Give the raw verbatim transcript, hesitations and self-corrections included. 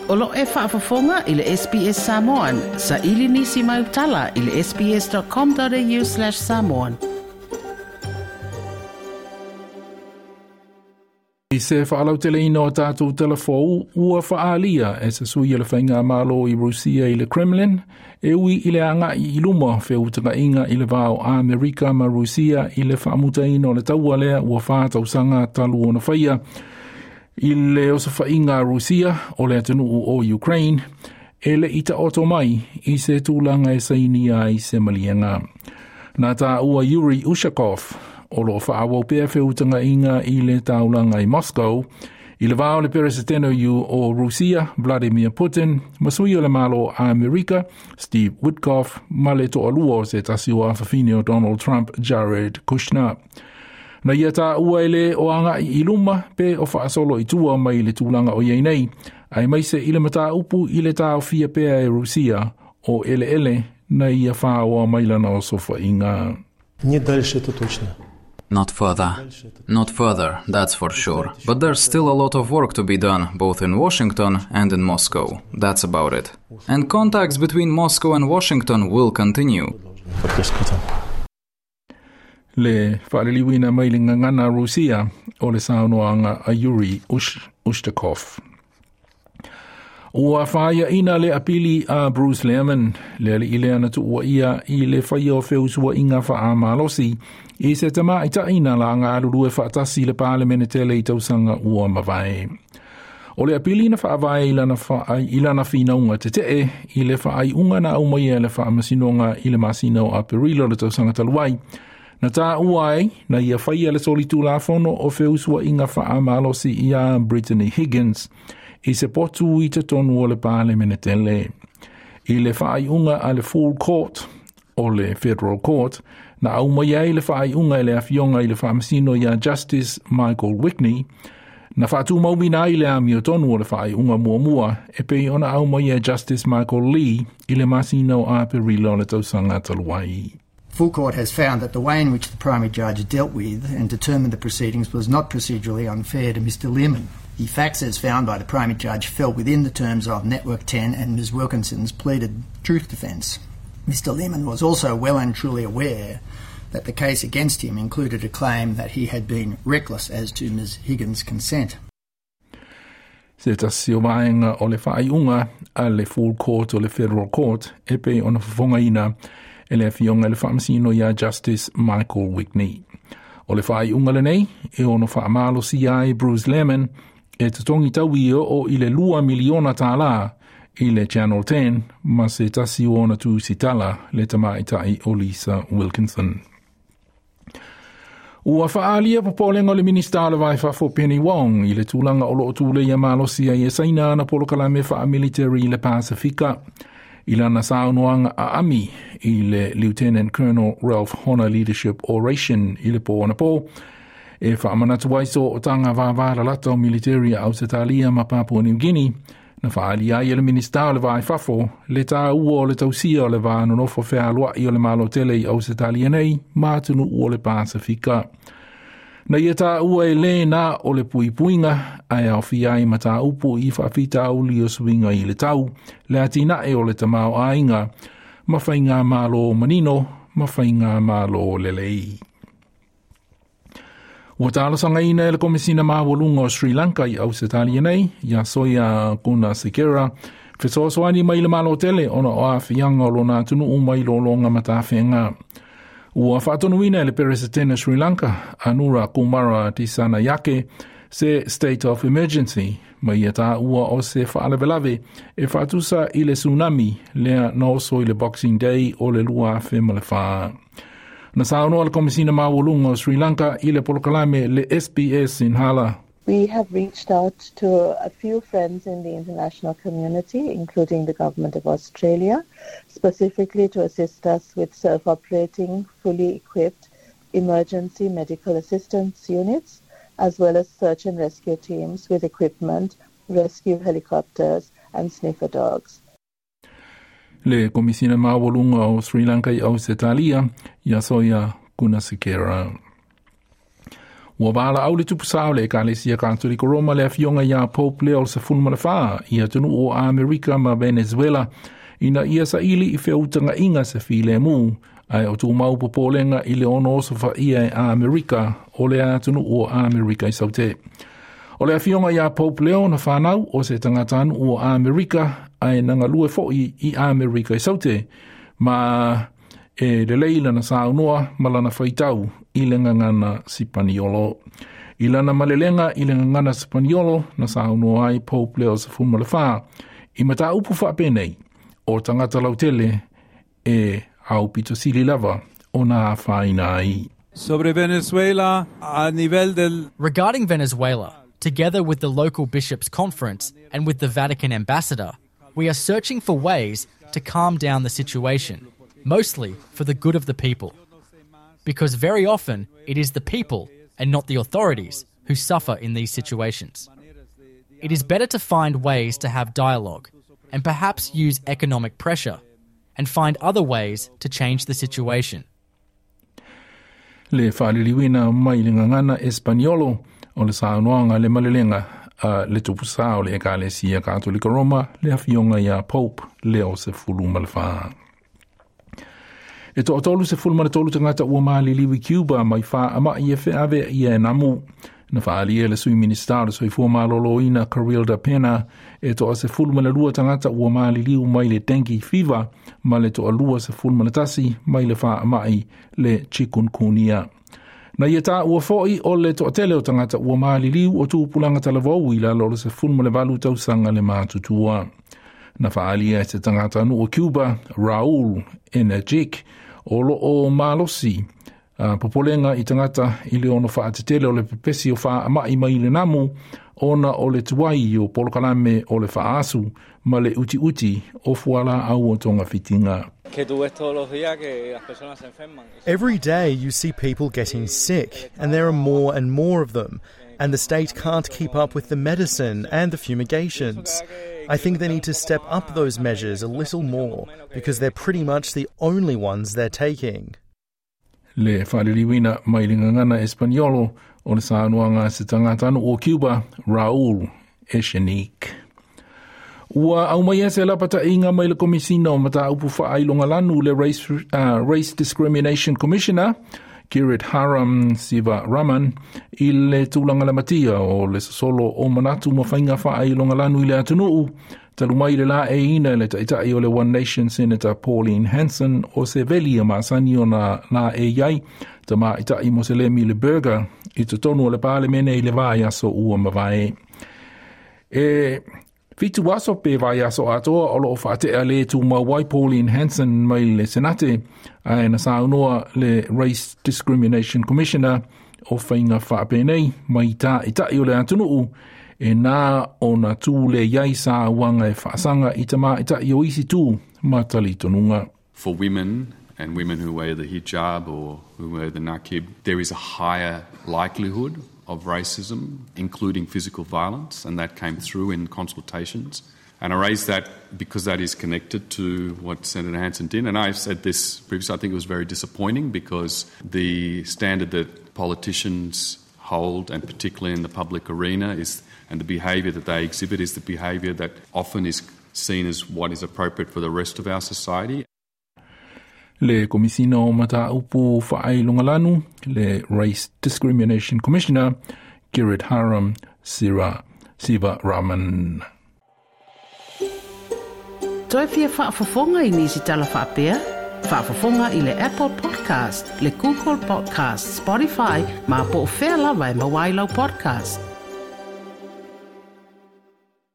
O lo e faafofoga i le S B S Samoan, sa ili nisi mai utala i le S B S dot com dot A U slash samoan. I se faalauteleina o tatou telefou ua faaalia e se sui o le faigamalo i Rusia i le Kremlin e ui i le agai i luma feutagaiga i le va o Amerika ma Rusia i le faamutaina o le taua lea ua fa tausaga talu ona faia i le osofaiga a Rusia o le atunuu o Ukraine e le i taoto mai i se tulaga e sainia ai se maliega. Na taua Yuri Ushakov o lo faaauau pea feutagaiga i le taulaga i Moscow i le va o le peresetene o Rusia Vladimir Putin ma sui o le malo Amerika Steve Witkoff ma le toalua o se tasi o afafine o Donald Trump, Jared Kushner. Na ia taua e le o agai i luma pe o faasolo i tua mai le tulaga o iai nei, aemaise i le mataupu i le taofia pea e Rusia o eleele na ia faaoa mai lana osofaiga. Не дальше, это точно. Not further. Not further, that's for sure. But there's still a lot of work to be done, both in Washington and in Moscow. That's about it. And contacts between Moscow and Washington will continue. Практически там. Le faaliliuina mai le gagana Rusia o le saunoaga a Yuri Ush, Ushakov. Ua faiaina le apili a Bruce Lehrmann, le alii lea na tuuaia i le faia o feusuaiga faamalosi i se tamaitai na galulue faatasi i le Palemene tele i tausaga ua mavae. O le apili na faavae i lana, fa, i lana finauga tetee i le faaiuga na aumaia e le faamasinoga i le masina o Aperila o le tausaga talu ai. Na taua ai, na ia faia le solitulafono o feusuaiga faamalosi ia Brittany Higgins i se potu i totonu o le Palemene tele. I le faaiuga a le Full Court o le Federal Court, na aumai ai le faaiuga e le afioga i le faamasino ia Justice Michael Wigney, na faatumauina ai le amiotonu o le faaiuga muamua e pei ona aumai e Justice Michael Lee i le masina o Aperila o le tausaga talu ai. Full Court has found that the way in which the primary judge dealt with and determined the proceedings was not procedurally unfair to Mister Lehrmann. The facts as found by the primary judge fell within the terms of Network ten and Miz Wilkinson's pleaded truth defence. Mister Lehrmann was also well and truly aware that the case against him included a claim that he had been reckless as to Miz Higgins' consent. Se tasi o vaega o le faaiuga a le Full Court o le Federal Court e pei ona fofogaina e le afioga i le faamasino ia Justice Michael Wigney. O le faaiuga lenei e ono faamalosia ai Bruce Lehrmann e totogi taui o i le lua miliona tālā i le Channel ten ma se tasi o ona tusitala le tamaitai o Lisa Wilkinson. Ua faaalia popolega o le Minista o le Va i Fafo Penny Wong i le tulaga o loo tuleia malosi ai e Saina ana polokalame faamilitary i le Pasifika. I lana saunoaga aami i le Lieutenant Colonel Ralph Honor Leadership Oration i le po anapo, e faamanatu ai sootaga vavalalata o military a Ausetalia ma Papua New Guinea, na faaalia ai e le Minista o le Va i Fafo le taua o le tausia o le va nonofo fealoai o le Malo tele i Ausetalia nei ma atunuu o le Pasifika. Na ia taua e le na o le puipuiga ae aofia ai mataupu i faafitauli o suiga i le tau, le atinae o le tamaoaiga, ma faigamalo manino ma faigamalo lelei. Ua talosagaina e le Komisina Maualuga o Sri Lanka i Ausetalia nei, ia Soia Gunasekera, fesoasoani mai le Malo tele ona o aafiaga o lona atunuu mai lologa matafeaga. Ua faatonuina e le Peresetene Sri Lanka, Anura Kumara Dissanayake, se state of emergency, ma ia taua o se faalavelave e faatusa i le tsunami lea na oso i le Boxing Day o le lua afe ma le fa. Na saunoa le Komisina Maualuga o Sri Lanka i le polokalame le S B S Sinhala. We have reached out to a few friends in the international community, including the Government of Australia, specifically to assist us with self-operating, fully equipped emergency medical assistance units, as well as search and rescue teams with equipment, rescue helicopters, and sniffer dogs. Le Komisina Maualuga o Sri Lanka i Ausetalia, ia Soia Gunasekera. Ua valaau le tupu sa o le Ekalesia Katoliko Roma le afioga iā Pope Leo Sefulu ma le Fa i atunuu o Amerika ma Venezuela ina ia saili i feutaga'iga se filemu ae o tumau popolega i le ono osofaia e Amerika o le atunuu o Amerika i Saute. O le afioga iā Pope Leo na fanau o se tagatanuu o Amerika ae na galue fo'i i Amerika i Saute ma e lelei lana saunoa ma lana faitau i le gagana Sipaniolo. I lana malelega i le gagana Sipaniolo na saunoa ai Pope Leo Sefulu ma le Fa i mataupu faapenei o tagata lautele e aupito sili lava ona afaina ai. Sobre Venezuela, a nivel del Regarding Venezuela, together with the local bishops' conference and with the Vatican ambassador, we are searching for ways to calm down the situation, mostly for the good of the people. Because very often it is the people and not the authorities who suffer in these situations. It is better to find ways to have dialogue and perhaps use economic pressure and find other ways to change the situation. Le faaliliuina mai le gagana Espaniolo o le saunoaga le malelega a le tupu sa o le Ekalesia Katolika Roma le afioga iā Pope Leo Sefulu ma le Fa. E toatolu sefulu ma le tolu tagata ua maliliu i Cuba mai faama'i e feaveaʻia e namu. Na faaalia le sui minista o le soifua malōlōina Carilda Pena e toasefulu ma le lua tagata ua maliliu mai le dengue fever ma le toalua sefulu ma le tasi mai le faama'i le chikungunya. Na ia taua fo'i o le toatele o tagata ua maliliu o tupulaga talavou i lalo o le sefulu ma le valu tausaga le matutua. Na faaalia e se tagatanuu o Cuba, Raul Energic, o loo malosi uh, popolega i tagata i le ono faatetele o le pepesi o faama'i mai le namu ona o le tuai o polokalame o le faaasu ma le utiuti o fualaau o togafitiga. Every day you see people getting sick, and there are more and more of them, and the state can't keep up with the medicine and the fumigations. I think they need to step up those measures a little more because they're pretty much the only ones they're taking. Le faaliliuina mai le gagana Espaniolo o le saunoaga se tagatanuu o Cuba, Raul Echenique. Ua aumaia se lapata'iga mai le Komisina o Mataupu Faailogalanu le Race, uh, Race Discrimination Commissioner Giridharan Sivaraman i le tulaga lamatia o le sosolo o manatu ma faiga faailogalanu i le atunuu talu mai le laeiina le ta'ita'i o le One Nation Senator Pauline Hanson o se veli e masani ona laei ai tamaita'i Moselemi le burqa i totonu o le Palemene i le vaiaso ua mavae. E fitu aso pe vaiaso atoa o loo faate'a le tumau ai Pauline Hanson mai le Senate ae na saunoa le Race Discrimination Commissioner o faiga faapenei mai ta'ita'i o le atunuu e nā ona tū le iai sauaga e faasaga i tamaita'i o isi tu ma talitonuga. For women and women who wear the hijab or who wear the niqab, there is a higher likelihood of racism, including physical violence, and that came through in consultations. And I raise that because that is connected to what Senator Hanson did. And I've said this previously, I think it was very disappointing because the standard that politicians hold, and particularly in the public arena, is and the behaviour that they exhibit is the behaviour that often is seen as what is appropriate for the rest of our society. Le Komisina o Mataupu Faailogalanu, le Race Discrimination Commissioner, Giridharan Sira Sivaraman. Toe fia faafofoga i nisi tala faapea? Faafofoga i le Apple Podcast, le Google Podcast, Spotify, ma po o fea lava e maua ai lau podcast.